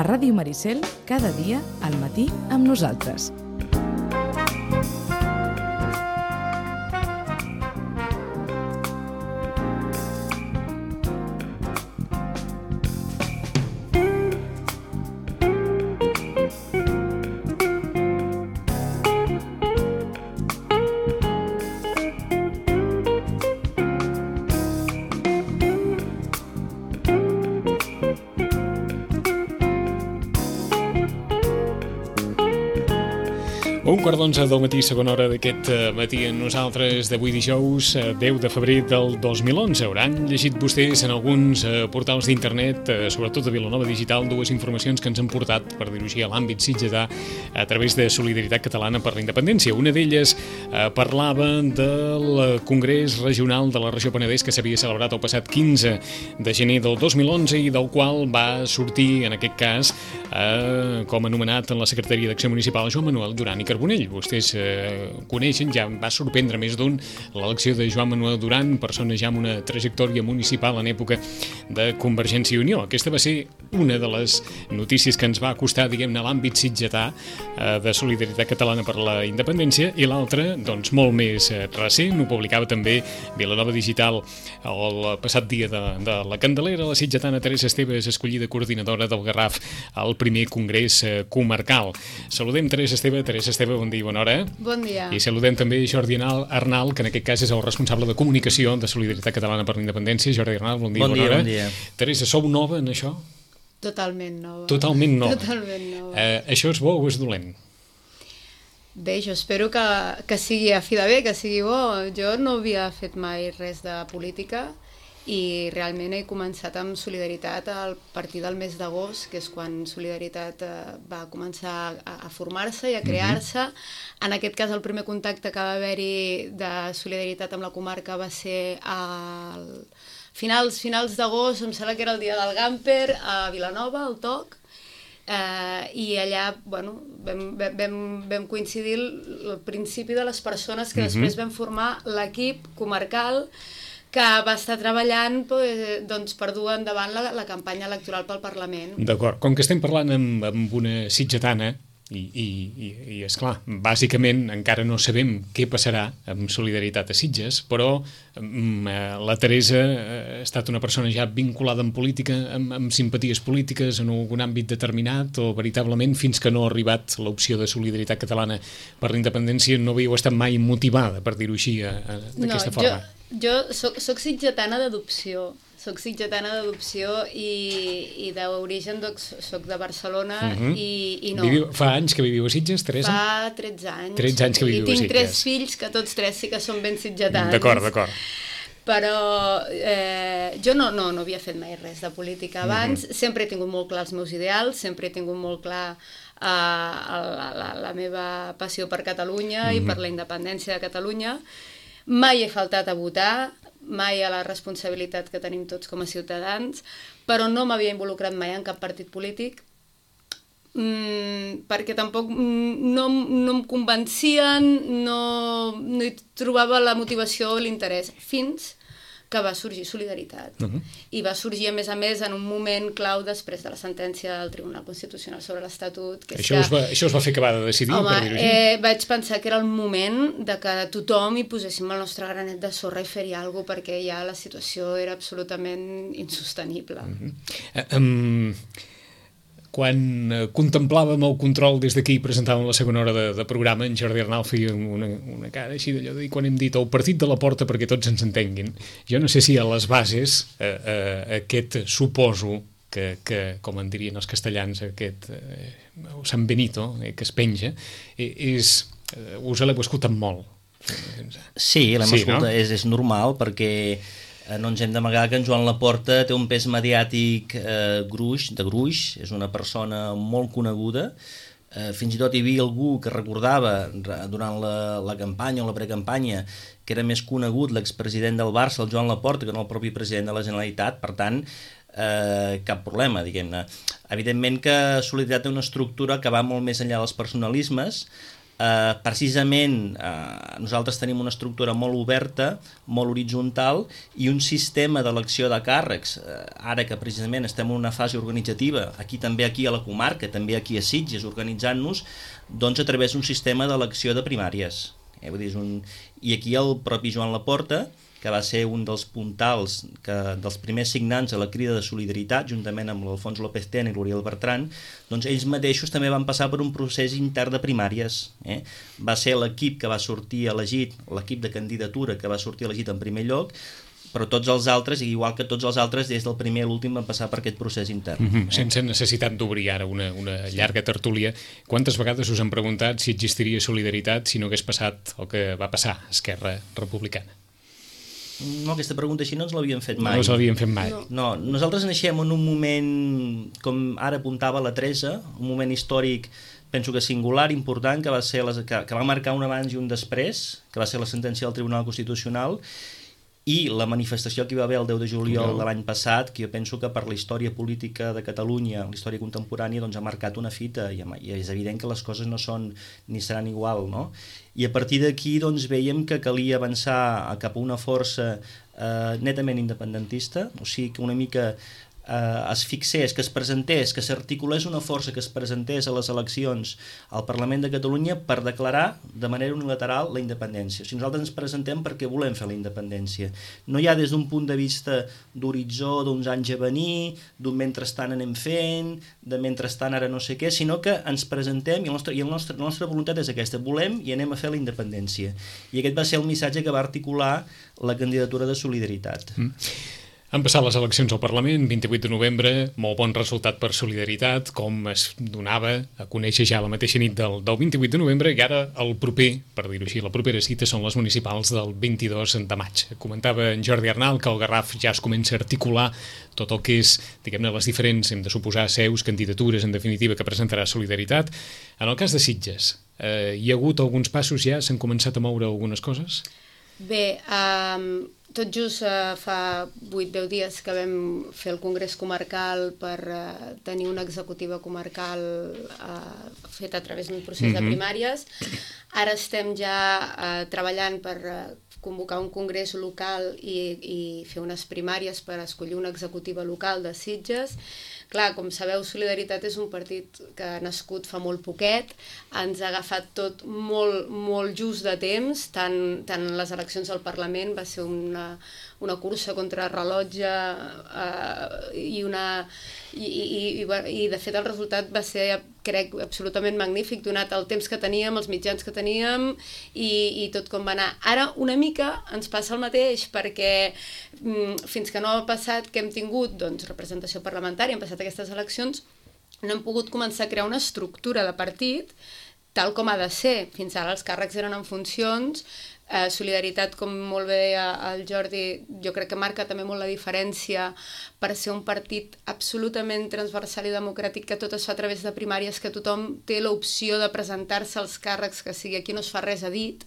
Ràdio Maricel, cada dia al matí amb nosaltres. Un quart d'11 del matí, segona hora d'aquest matí amb nosaltres d'avui dijous, 10 de febrer del 2011. Hauran llegit vostès en alguns portals d'internet, sobretot de Vilanova Digital, dues informacions que ens han portat, per dir-ho així, a l'àmbit sitgetà a través de Solidaritat Catalana per la Independència. Una d'elles parlava del Congrés Regional de la Regió Penedès que s'havia celebrat el passat 15 de gener del 2011 i del qual va sortir, en aquest cas, com a nomenat en la Secretaria d'Acció Municipal, Joan Manuel Duran i Carbonell. Vostès coneixen, ja va sorprendre més d'un, l'elecció de Joan Manuel Duran, persona ja amb una trajectòria municipal en època de Convergència i Unió. Aquesta va ser una de les notícies que ens va acostar, diguem-ne, a l'àmbit sitgetà de Solidaritat Catalana per la Independència, i l'altra, doncs, molt més recent, ho publicava també Vilanova Digital el passat dia de la Candelera, la sitgetana Teresa Esteve és escollida coordinadora del Garraf al primer congrés comarcal. Saludem Teresa Esteve, bon dia i bona hora. Bon dia. I saludem també Jordi Arnal, que en aquest cas és el responsable de comunicació de Solidaritat Catalana per la Independència. Jordi Arnal, bon dia i bona hora. Bon dia. Teresa, sou nova en això? Totalment nova. Totalment nova. Totalment nova. Això és bo o és dolent? Bé, jo espero que sigui a fi de bé, que sigui bo. Jo no havia fet mai res de política i realment he començat amb Solidaritat a partir del mes d'agost, que és quan Solidaritat va començar a formar-se i a crear-se. En aquest cas, el primer contacte que va haver-hi de Solidaritat amb la comarca va ser al finals d'agost, em sembla que era el dia del Gamper, a Vilanova, al TOC, i allà vam coincidir al principi de les persones que després vam formar l'equip comarcal que va estar treballant per dur endavant la campanya electoral pel Parlament. D'acord. Com que estem parlant amb una sitgetana, i esclar, bàsicament encara no sabem què passarà amb Solidaritat a Sitges, però la Teresa ha estat una persona ja vinculada en política, amb simpaties polítiques en algun àmbit determinat, o veritablement fins que no ha arribat l'opció de Solidaritat Catalana per la Independència no havíeu estat mai motivada, per dir-ho així, d'aquesta forma? Jo soc sitgetana d'adopció. Soc sitgetana d'adopció i d'origen soc de Barcelona i no. Fa anys que viviu a Sitges, Teresa? Fa 13 anys. 13 anys que viviu a Sitges. I tinc 3 fills que tots 3 sí que són ben sitgetans. D'acord. Però jo no havia fet mai res de política abans. Sempre he tingut molt clar els meus ideals, sempre he tingut molt clar la meva passió per Catalunya i per la independència de Catalunya. Mai he faltat a votar, mai a la responsabilitat que tenim tots com a ciutadans, però no m'havia involucrat mai en cap partit polític, perquè tampoc no em convencien, no hi trobava la motivació o l'interès, fins que va sorgir Solidaritat. I va sorgir, a més, en un moment clau després de la sentència del Tribunal Constitucional sobre l'Estatut. Això us va fer acabar de decidir? Home, vaig pensar que era el moment de que tothom hi poséssim el nostre granet de sorra i fer-hi alguna cosa, perquè ja la situació era absolutament insostenible. Quan contemplàvem el control des d'aquí i presentàvem la segona hora de programa, en Jordi Arnal feia una cara així d'allò de dir, quan hem dit el partit de la porta perquè tots ens entenguin, jo no sé si a les bases aquest suposo que com en dirien els castellans, aquest San Benito que es penja, us l'heu escoltat molt. Sí, l'hem escoltat, és normal, perquè no ens hem d'amagar que en Joan Laporta té un pes mediàtic gruix, és una persona molt coneguda, fins i tot hi havia algú que recordava durant la campanya o la precampanya que era més conegut l'expresident del Barça, el Joan Laporta, que no el propi president de la Generalitat, per tant, cap problema, diguem-ne. Evidentment que Solidaritat té una estructura que va molt més enllà dels personalismes, Precisament nosaltres tenim una estructura molt oberta, molt horitzontal i un sistema d'elecció de càrrecs, ara que precisament estem en una fase organitzativa, aquí a la comarca, també aquí a Sitges, organitzant-nos, doncs a través d'un sistema d'elecció de primàries. Vull dir, i aquí el propi Joan Laporta, que va ser un dels puntals, dels primers signants a la Crida de Solidaritat, juntament amb l'Alfons López Tena i l'Oriol Bertran, doncs ells mateixos també van passar per un procés intern de primàries. Va ser l'equip que va sortir elegit, l'equip de candidatura que va sortir elegit en primer lloc, però tots els altres, igual que tots els altres, des del primer a l'últim van passar per aquest procés intern. Sense necessitat d'obrir ara una llarga tertúlia, quantes vegades us han preguntat si existiria Solidaritat si no hagués passat el que va passar a Esquerra Republicana? No, aquesta pregunta així no ens l'havíem fet mai. No ens l'havíem fet mai. No, nosaltres naixem en un moment, com ara apuntava la Teresa, un moment històric, penso que singular, important, que va marcar un abans i un després, que va ser la sentència del Tribunal Constitucional, i la manifestació que hi va haver el 10 de juliol de l'any passat, que jo penso que per la història política de Catalunya, la història contemporània, doncs ha marcat una fita, i és evident que les coses no són ni seran igual, no? I a partir d'aquí doncs veiem que calia avançar cap a una força netament independentista, o sigui que una mica es fixés, que es presentés, que s'articulés una força que es presentés a les eleccions al Parlament de Catalunya per declarar de manera unilateral la independència. O sigui, nosaltres ens presentem perquè volem fer la independència. No hi ha des d'un punt de vista d'horitzó, d'uns anys a venir, d'un mentrestant anem fent, de mentrestant ara no sé què, sinó que ens presentem i la nostra voluntat és aquesta, volem i anem a fer la independència. I aquest va ser el missatge que va articular la candidatura de Solidaritat. Han passat les eleccions al Parlament, 28 de novembre, molt bon resultat per Solidaritat, com es donava a conèixer ja la mateixa nit del 28 de novembre, i ara el proper, per dir-ho així, la propera cita són les municipals del 22 de maig. Comentava en Jordi Arnal que el Garraf ja es comença a articular tot el que és, diguem-ne, les diferents, hem de suposar, seus, candidatures, en definitiva, que presentarà Solidaritat. En el cas de Sitges, hi ha hagut alguns passos ja? S'han començat a moure algunes coses? Bé, tot just fa 8-10 dies que vam fer el Congrés Comarcal per tenir una executiva comarcal feta a través d'un procés de primàries. Ara estem ja treballant per convocar un congrés local i fer unes primàries per escollir una executiva local de Sitges. Clar, com sabeu, Solidaritat és un partit que ha nascut fa molt poquet, ens ha agafat tot molt just de temps, tant les eleccions al Parlament va ser una cursa contra rellotge i de fet el resultat va ser, crec, absolutament magnífic, donat el temps que teníem, els mitjans que teníem i tot com va anar. Ara una mica ens passa el mateix perquè fins que no ha passat que hem tingut representació parlamentària, hem passat aquestes eleccions, no hem pogut començar a crear una estructura de partit tal com ha de ser. Fins ara els càrrecs eren en funcions. Solidaritat, com molt bé deia el Jordi, jo crec que marca també molt la diferència per ser un partit absolutament transversal i democràtic, que tot es fa a través de primàries, que tothom té l'opció de presentar-se als càrrecs que sigui, aquí no es fa res a dit.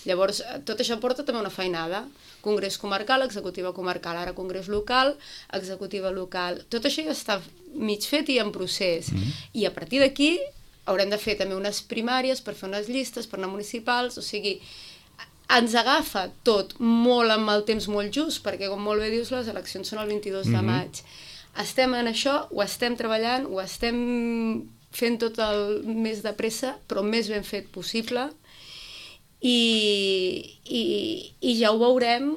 Llavors, tot això porta també una feinada. Congrés comarcal, executiva comarcal, ara congrés local, executiva local. Tot això ja està mig fet i en procés. I a partir d'aquí haurem de fer també unes primàries per fer unes llistes, per anar municipals, o sigui, ens agafa tot molt amb el temps molt just, perquè com molt bé dius, les eleccions són el 22 de maig. Estem en això, ho estem treballant, ho estem fent tot el més de pressa, però més ben fet possible, i ja ho veurem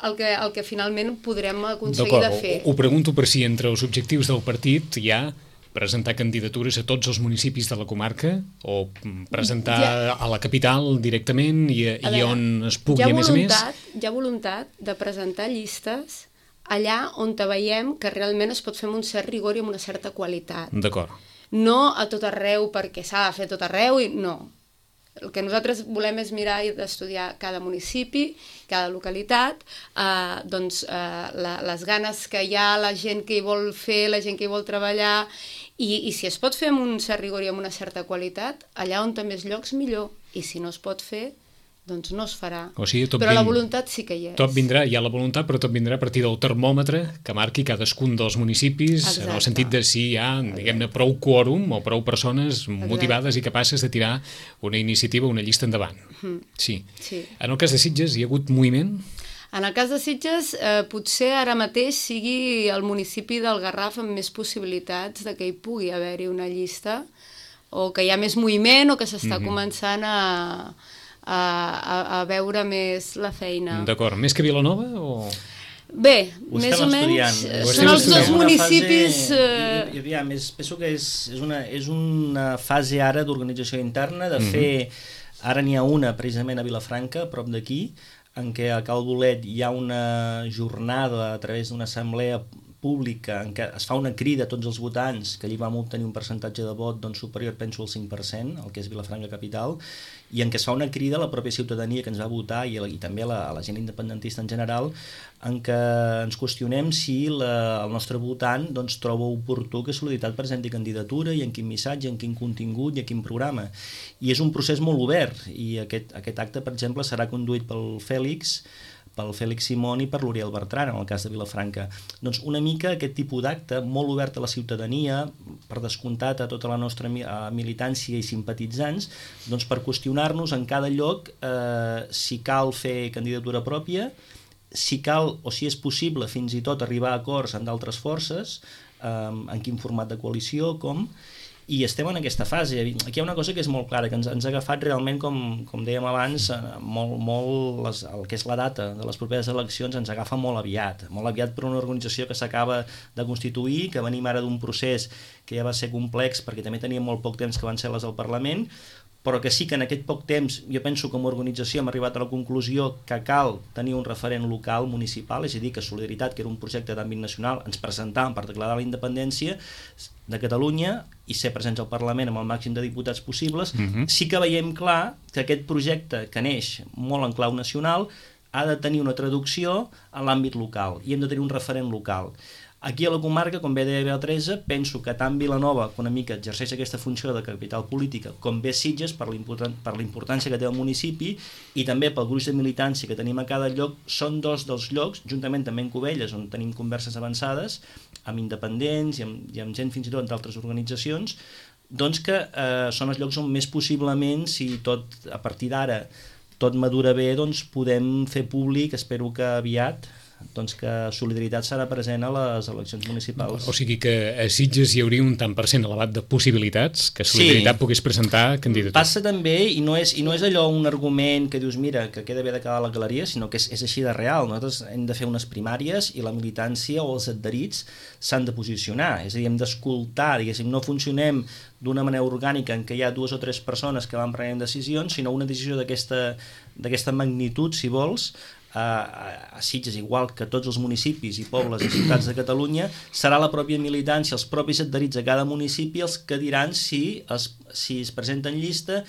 el que finalment podrem aconseguir de fer. Ho pregunto per si entre els objectius del partit hi ha presentar candidatures a tots els municipis de la comarca o presentar a la capital directament i on es pugui a més a més? Hi ha voluntat de presentar llistes allà on veiem que realment es pot fer amb un cert rigor i amb una certa qualitat. D'acord. No a tot arreu perquè s'ha de fer tot arreu, no. El que nosaltres volem és mirar i d'estudiar cada municipi, cada localitat, les ganes que hi ha, la gent que hi vol fer, la gent que hi vol treballar, i si es pot fer amb un cert rigor i amb una certa qualitat, allà on té més llocs, millor. I si no es pot fer, doncs no es farà. O sigui, però la voluntat sí que hi és. Tot vindrà, hi ha la voluntat, però tot vindrà a partir del termòmetre que marqui cadascun dels municipis. Exacte. En el sentit de si hi ha, diguem-ne, prou quòrum o prou persones motivades i capaces de tirar una iniciativa, una llista endavant. Sí. En el cas de Sitges hi ha hagut moviment? En el cas de Sitges, potser ara mateix sigui el municipi del Garraf amb més possibilitats de que hi pugui haver-hi una llista, o que hi ha més moviment, o que s'està començant a veure més la feina. D'acord. Més que Vilanova o...? Bé, més o menys, són els dos municipis... Penso que és una fase ara d'organització interna, de fer... Ara n'hi ha una, precisament a Vilafranca, a prop d'aquí, en què a Cal Bolet hi ha una jornada a través d'una assemblea pública en què es fa una crida a tots els votants, que allí vam obtenir un percentatge de vot superior, penso, al 5%, el que és Vilafranca capital, i en què es fa una crida a la pròpia ciutadania que ens va votar i també a la gent independentista en general, en què ens qüestionem si el nostre votant troba oportú que Solidaritat presenti candidatura i en quin missatge, en quin contingut i en quin programa. I és un procés molt obert, i aquest acte, per exemple, serà conduït pel Fèlix Simón i per l'Oriol Bertran, en el cas de Vilafranca. Doncs una mica aquest tipus d'acte, molt obert a la ciutadania, per descomptat a tota la nostra militància i simpatitzants, doncs per qüestionar-nos en cada lloc si cal fer candidatura pròpia, si cal o si és possible fins i tot arribar a acords amb d'altres forces, en quin format de coalició, com... I estem en aquesta fase. Aquí hi ha una cosa que és molt clara, que ens ha agafat realment, com dèiem abans, el que és la data de les properes eleccions ens agafa molt aviat per una organització que s'acaba de constituir, que venim ara d'un procés que ja va ser complex perquè també teníem molt poc temps, que van ser les del Parlament, però que sí que en aquest poc temps, jo penso que com a organització hem arribat a la conclusió que cal tenir un referent local, municipal, és a dir, que Solidaritat, que era un projecte d'àmbit nacional, ens presentàvem per declarar la independència de Catalunya i ser presents al Parlament amb el màxim de diputats possibles. Sí que veiem clar que aquest projecte, que neix molt en clau nacional, ha de tenir una traducció en l'àmbit local i hem de tenir un referent local. Aquí a la comarca, com bé deia Beatriz, penso que tant Vilanova, que una mica exerceix aquesta funció de capital política, com bé Sitges, per la importància que té el municipi, i també pel gruix de militància que tenim a cada lloc, són dos dels llocs, juntament també en Cubelles, on tenim converses avançades, amb independents i amb gent fins i tot d'altres organitzacions, doncs que són els llocs on més possiblement, si tot a partir d'ara tot madura bé, doncs podem fer públic, espero que aviat, doncs que Solidaritat serà present a les eleccions municipals. O sigui que a Sitges hi hauria un tant per cent elevat de possibilitats que Solidaritat pogués presentar candidatura. Passa també, i no és allò un argument que dius, mira, que queda bé de quedar a la galeria, sinó que és així de real. Nosaltres hem de fer unes primàries i la militància o els adherits s'han de posicionar, és a dir, hem d'escoltar, diguéssim, no funcionem d'una manera orgànica en què hi ha 2 o 3 persones que van prenent decisions, sinó una decisió d'aquesta magnitud, si vols, a Sitges, igual que tots els municipis i pobles i ciutats de Catalunya, serà la pròpia militància, els propis adherits a cada municipi els que diran si es presenta en llista,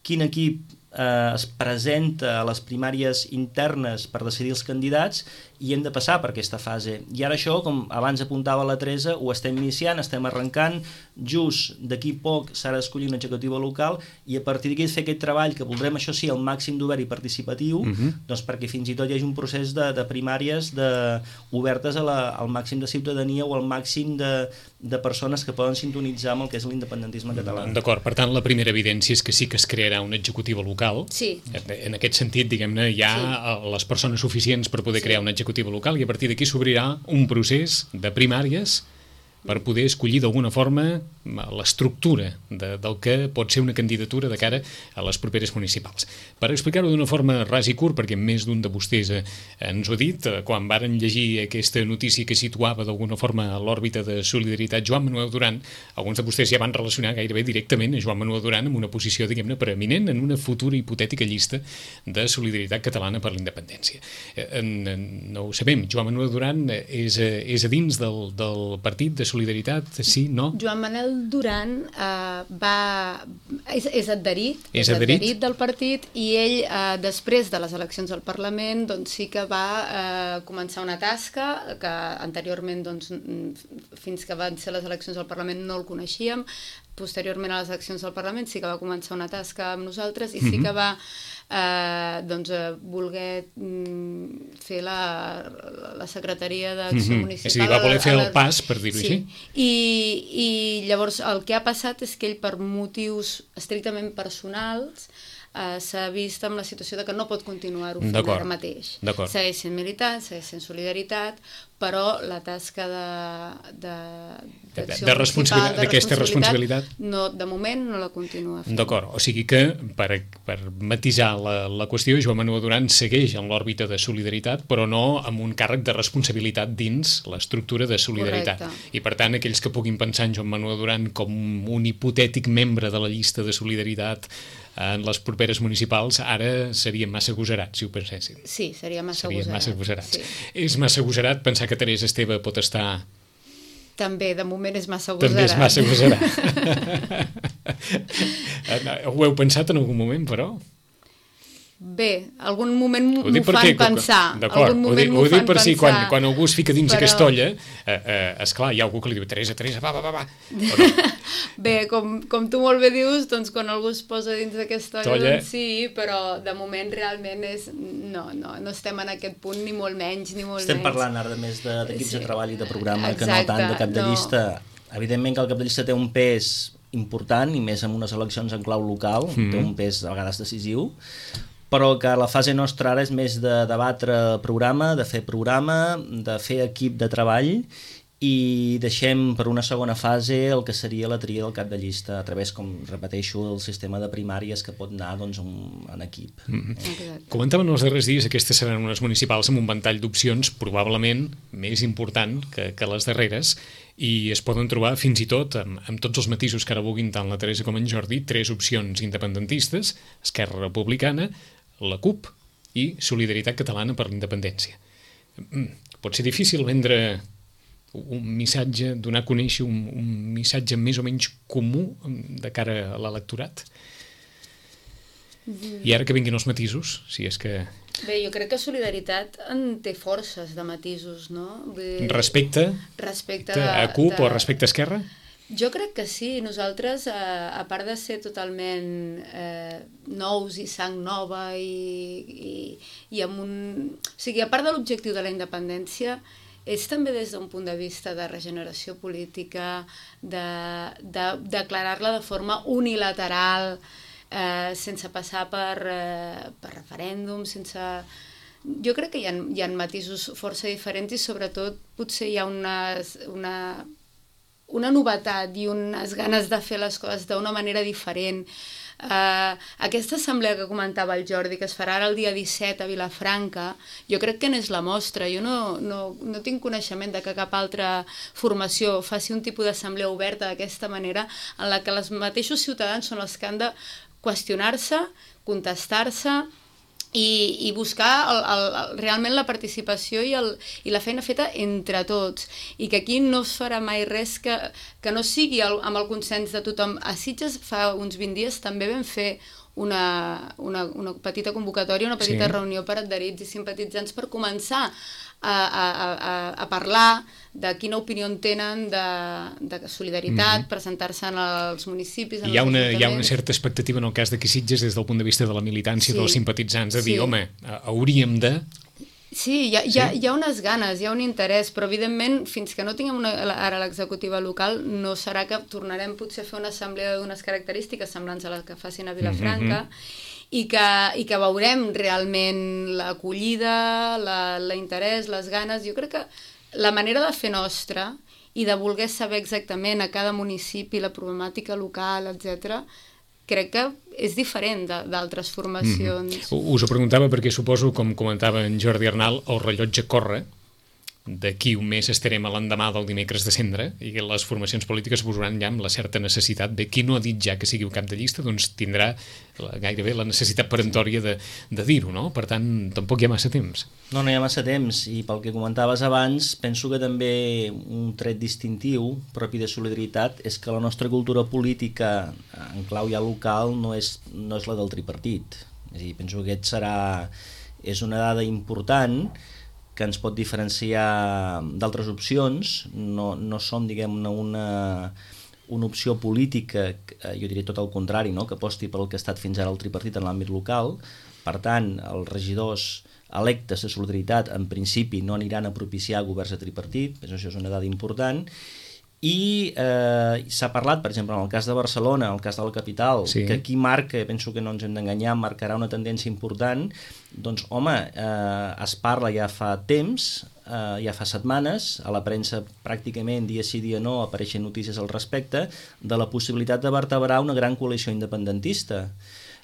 quin equip es presenta a les primàries internes per decidir els candidats, i hem de passar per aquesta fase. I ara això, com abans apuntava la Teresa, ho estem iniciant, estem arrencant, just d'aquí poc s'ha d'escollir una executiva local i a partir d'aquí fer aquest treball que voldrem, això sí, el màxim d'obert i participatiu, doncs perquè fins i tot hi hagi un procés de primàries obertes al màxim de ciutadania o al màxim de persones que poden sintonitzar amb el que és l'independentisme català. D'acord, per tant la primera evidència és que sí que es crearà una executiva local. Sí. En aquest sentit, diguem-ne, hi ha les persones suficients per poder crear una executiva local i a partir d'aquí s'obrirà un procés de primàries per poder escollir d'alguna forma l'estructura del que pot ser una candidatura de cara a les properes municipals. Per explicar-ho d'una forma ras i curt, perquè més d'un de vostès ens ho ha dit, quan varen llegir aquesta notícia que situava d'alguna forma a l'òrbita de Solidaritat Joan Manuel Duran, alguns de vostès ja van relacionar gairebé directament a Joan Manuel Duran amb una posició, diguem-ne, preeminent en una futura hipotètica llista de Solidaritat Catalana per la Independència. No ho sabem, Joan Manuel Duran és a dins del partit de Solidaritat, sí, no? Joan Manuel Duran és adherit del partit i ell, després de les eleccions al Parlament, doncs sí que va començar una tasca que anteriorment, doncs, fins que van ser les eleccions al Parlament no el coneixíem, posteriorment a les eleccions al Parlament sí que va començar una tasca amb nosaltres i sí que va voler fer la secretaria d'acció municipal. És a dir, va voler fer el pas, per dir-ho així. I llavors el que ha passat és que ell, per motius estrictament personals, s'ha vist amb la situació de que no pot continuar-ho fent ara mateix. Segueix sent militant, segueix sent solidaritat, però la tasca d'aquesta responsabilitat no, de moment no la continua fent. D'acord, o sigui que per matisar la qüestió, Joan Manuel Duran segueix en l'òrbita de solidaritat, però no amb un càrrec de responsabilitat dins l'estructura de solidaritat. Correcte. I per tant, aquells que puguin pensar en Joan Manuel Duran com un hipotètic membre de la llista de solidaritat en les properes municipals, ara serien massa agosarats, si ho pensessin. Sí, seria massa agosarats. Sí. És massa agosarat pensar que Teresa Esteve pot estar... També, de moment és massa agosarat. També és massa agosarat. Ho heu pensat en algun moment, però? Bé, algun moment m'ho fan pensar. D'acord, ho dic per si quan algú es fica dins aquesta olla, esclar, hi ha algú que li diu Teresa, va. Bé, com tu molt bé dius, doncs quan algú es posa dins d'aquesta olla, doncs sí, però de moment realment és... No estem en aquest punt, ni molt menys, Estem parlant ara més d'equips de treball i de programa, que no tant de cap de llista. Evidentment que el cap de llista té un pes important, i més en unes eleccions en clau local, té un pes a vegades decisiu, però que la fase nostra ara és més de debatre programa, de fer equip de treball, i deixem per una segona fase el que seria la tria del cap de llista a través, com repeteixo, del sistema de primàries que pot anar en equip. Comentàvem els darrers dies, aquestes seran unes municipals amb un ventall d'opcions probablement més important que les darreres, i es poden trobar fins i tot amb tots els matisos que ara vulguin tant la Teresa com en Jordi, 3 opcions independentistes: Esquerra Republicana, la CUP i Solidaritat Catalana per la Independència. Pot ser difícil vendre un missatge, donar a conèixer un missatge més o menys comú de cara a l'electorat? I ara que vinguin els matisos, si és que... Bé, jo crec que Solidaritat en té forces de matisos, no? Respecte a CUP o respecte a Esquerra? Jo crec que sí. Nosaltres, a part de ser totalment nous i sang nova i amb un... O sigui, a part de l'objectiu de la independència, és també des d'un punt de vista de regeneració política, de declarar-la de forma unilateral, sense passar per referèndum, sense... Jo crec que hi ha matisos força diferents i sobretot potser hi ha una novetat i unes ganes de fer les coses d'una manera diferent. Aquesta assemblea que comentava el Jordi, que es farà ara el dia 17 a Vilafranca, jo crec que n'és la mostra. Jo no tinc coneixement de que cap altra formació faci un tipus d'assemblea oberta d'aquesta manera, en la que els mateixos ciutadans són els que han de qüestionar-se, contestar-se i buscar realment la participació i la feina feta entre tots, i que aquí no es farà mai res que no sigui amb el consens de tothom. A Sitges fa uns 20 dies també vam fer una petita convocatòria, una petita reunió per adherits i simpatitzants per començar a parlar de quina opinió en tenen de solidaritat, presentar-se als municipis, hi ha una certa expectativa en el cas de que Sitges, des del punt de vista de la militància, dels simpatitzants, de dir, home, hauríem de... Sí, hi ha unes ganes, hi ha un interès, però evidentment fins que no tinguem ara l'executiva local no serà que tornarem potser a fer una assemblea d'unes característiques semblants a les que facin a Vilafranca, i que veurem realment l'acollida, l'interès, les ganes. Jo crec que la manera de fer nostra i de voler saber exactament a cada municipi la problemàtica local, etc., crec que és diferent d'altres formacions. Us ho preguntava perquè suposo, com comentava en Jordi Arnal, el rellotge corre. D'aquí un mes estarem a l'endemà del dimecres de Cendra i les formacions polítiques posaran ja amb la certa necessitat. Bé, qui no ha dit ja que sigui un cap de llista, doncs tindrà gairebé la necessitat peremptòria de dir-ho, no? Per tant, tampoc hi ha massa temps. No hi ha massa temps, i pel que comentaves abans, penso que també un tret distintiu propi de Solidaritat és que la nostra cultura política en clau ja local no és la del tripartit. És a dir, penso que és una dada important que ens pot diferenciar d'altres opcions. No som, diguem-ne, una opció política, jo diria tot el contrari, no? Que aposti pel que ha estat fins ara el tripartit en l'àmbit local. Per tant, els regidors electes de Solidaritat en principi no aniran a propiciar governs de tripartit, això és una dada important. I s'ha parlat, per exemple, en el cas de Barcelona, en el cas de la capital, sí, que aquí marca, penso que no ens hem d'enganyar, marcarà una tendència important. Doncs, home, es parla ja fa temps, ja fa setmanes, a la premsa pràcticament dia sí dia no apareixen notícies al respecte, de la possibilitat de vertebrar una gran coalició independentista.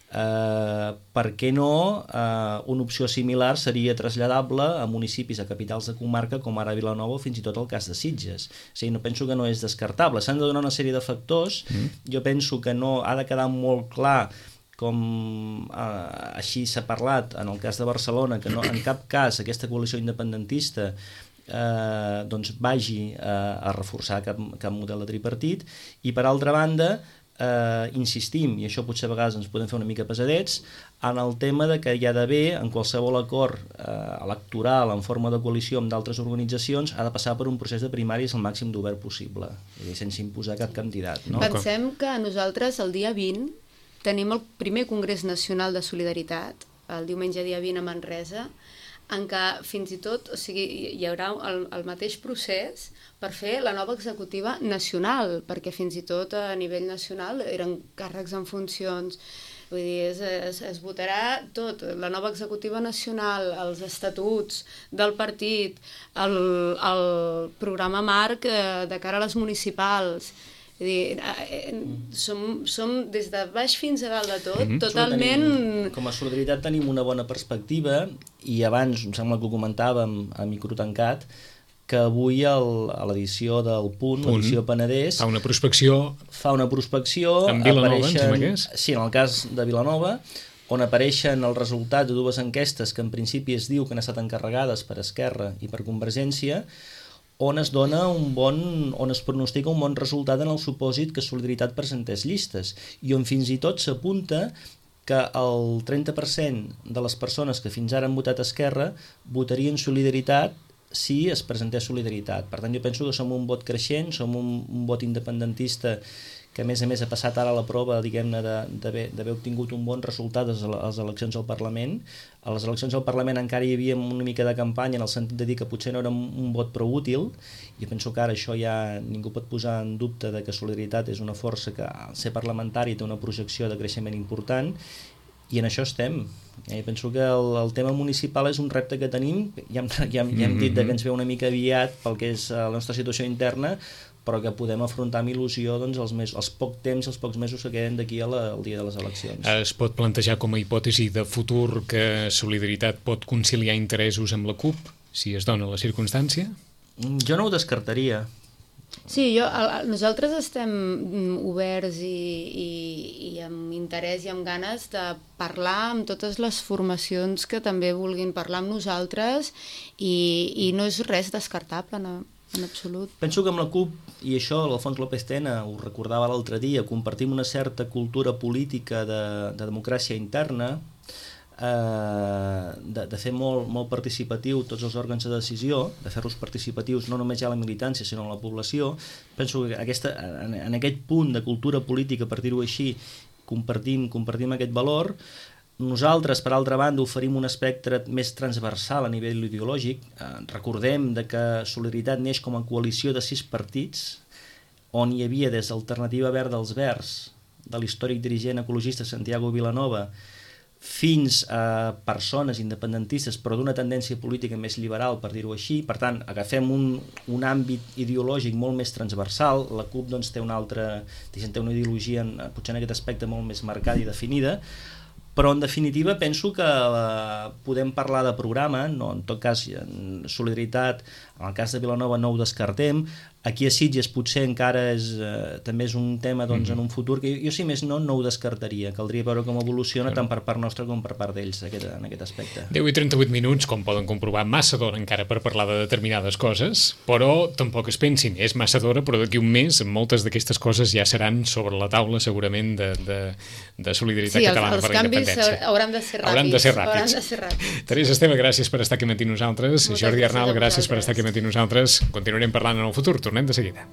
Per què no una opció similar seria traslladable a municipis, a capitals de comarca com ara Vilanova o fins i tot el cas de Sitges. O sigui, no penso que no és descartable, s'han de donar una sèrie de factors. Jo penso que no ha de quedar molt clar, com així s'ha parlat en el cas de Barcelona, que no, en cap cas aquesta coalició independentista doncs vagi a reforçar cap model de tripartit. I per altra banda, insistim, i això potser a vegades ens podem fer una mica pesadets, en el tema de que hi ha d'haver, en qualsevol acord electoral en forma de coalició amb d'altres organitzacions, ha de passar per un procés de primàries el màxim d'obert possible, sense imposar cap candidat. No? Pensem que nosaltres el dia 20 tenim el primer Congrés Nacional de Solidaritat, el diumenge dia 20 a Manresa, en què fins i tot, o sigui, hi haurà el mateix procés per fer la nova executiva nacional, perquè fins i tot a nivell nacional eren càrrecs en funcions. Vull dir, es votarà tot, la nova executiva nacional, els estatuts del partit, el programa marc de cara a les municipals. Vull dir, som des de baix fins a dalt de tot, totalment... Com a Solidaritat tenim una bona perspectiva, i abans, em sembla que ho comentàvem a micro tancat, que avui a l'edició del Punt, l'edició Penedès... Fa una prospecció... En Vilanova, em sembla que és? Sí, en el cas de Vilanova, on apareixen els resultats de dues enquestes que en principi es diu que han estat encarregades per Esquerra i per Convergència, on es pronostica un bon resultat en el supòsit que Solidaritat presentés llistes, i on fins i tot s'apunta que el 30% de les persones que fins ara han votat Esquerra votarien Solidaritat si es presentés Solidaritat. Per tant, jo penso que som un vot creixent, som un vot independentista que a més ha passat ara la prova, diguem-ne, d'haver obtingut un bon resultat a les eleccions al Parlament. A les eleccions al Parlament encara hi havia una mica de campanya en el sentit de dir que potser no era un vot prou útil. Jo penso que ara això ja ningú pot posar en dubte de que Solidaritat és una força que al ser parlamentari té una projecció de creixement important, i en això estem. Jo penso que el tema municipal és un repte que tenim, ja hem dit que ens ve una mica aviat pel que és la nostra situació interna, però que podem afrontar amb il·lusió doncs, els pocs temps, els pocs mesos que queden d'aquí al dia de les eleccions. Es pot plantejar com a hipòtesi de futur que Solidaritat pot conciliar interessos amb la CUP, si es dona la circumstància? Jo no ho descartaria. Sí, nosaltres estem oberts i amb interès i amb ganes de parlar amb totes les formacions que també vulguin parlar amb nosaltres, i no és res descartable, no, en absolut. Penso que amb la CUP, i això l'Alfons López Tena ho recordava l'altre dia, compartim una certa cultura política de democràcia interna, de fer molt participatiu tots els òrgans de decisió, de fer-los participatius no només ja a la militància sinó a la població. Penso que en aquest punt de cultura política, per dir-ho així, compartim aquest valor. Nosaltres, per altra banda, oferim un espectre més transversal a nivell ideològic. Recordem que Solidaritat neix com a coalició de 6 partits, on hi havia des d'Alternativa Verda als Verds, de l'històric dirigent ecologista Santiago Vilanova, fins a persones independentistes però d'una tendència política més liberal, per dir-ho així. Per tant, agafem un àmbit ideològic molt més transversal. La CUP doncs, té una ideologia potser en aquest aspecte molt més marcada i definida, però en definitiva penso que podem parlar de programa, no, en tot cas Solidaritat, en el cas de Vilanova no ho descartem. Aquí a Sitges potser encara també és un tema doncs, en un futur que jo si més no ho descartaria. Caldria veure com evoluciona tant per part nostra com per part d'ells en aquest aspecte. 10 i 38 minuts, com poden comprovar, massa d'hora encara per parlar de determinades coses, però tampoc es pensin, és massa d'hora, però d'aquí un mes moltes d'aquestes coses ja seran sobre la taula segurament de Solidaritat Catalana per la Independència. Sí, els canvis hauran de ser ràpids. Hauran de ser ràpids. Teresa Esteve, gràcies per estar aquí amb nosaltres. Jordi Arnal, gràcies per estar aquí amb nosaltres. Continuarem parlant en el futur. Tornem de seguida.